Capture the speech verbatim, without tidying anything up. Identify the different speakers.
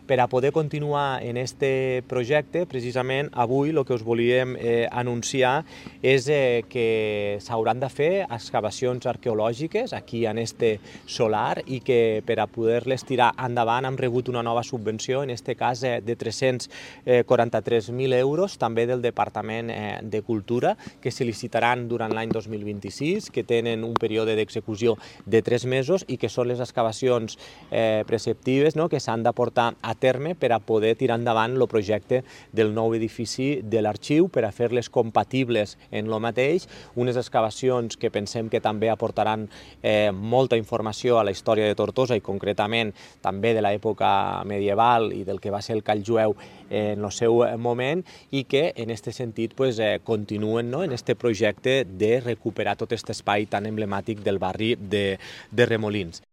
Speaker 1: Per a poder continuar en este projecte, precisament avui el que us volíem eh, anunciar és eh, que s'hauran de fer excavacions arqueològiques aquí en este solar i que per a poder-les tirar endavant hem rebut una nova subvenció, en este cas eh, de tres-cents quaranta-tres mil euros, també del Departament eh, de Cultura, que se licitaran durant l'any dos mil vint-i-sis, que tenen un període d'execució de tres mesos i que són les excavacions eh, preceptives, no?, que s'han de portar a terme per a poder tirar endavant el projecte del nou edifici de l'arxiu, per a fer-les compatibles en lo mateix, unes excavacions que pensem que també aportaran eh, molta informació a la història de Tortosa i concretament també de l'època medieval i del que va ser el call jueu en el seu moment, i que en aquest sentit pues, eh, continuen, no?, en aquest projecte de recuperar tot aquest espai tan emblemàtic del barri de, de Remolins.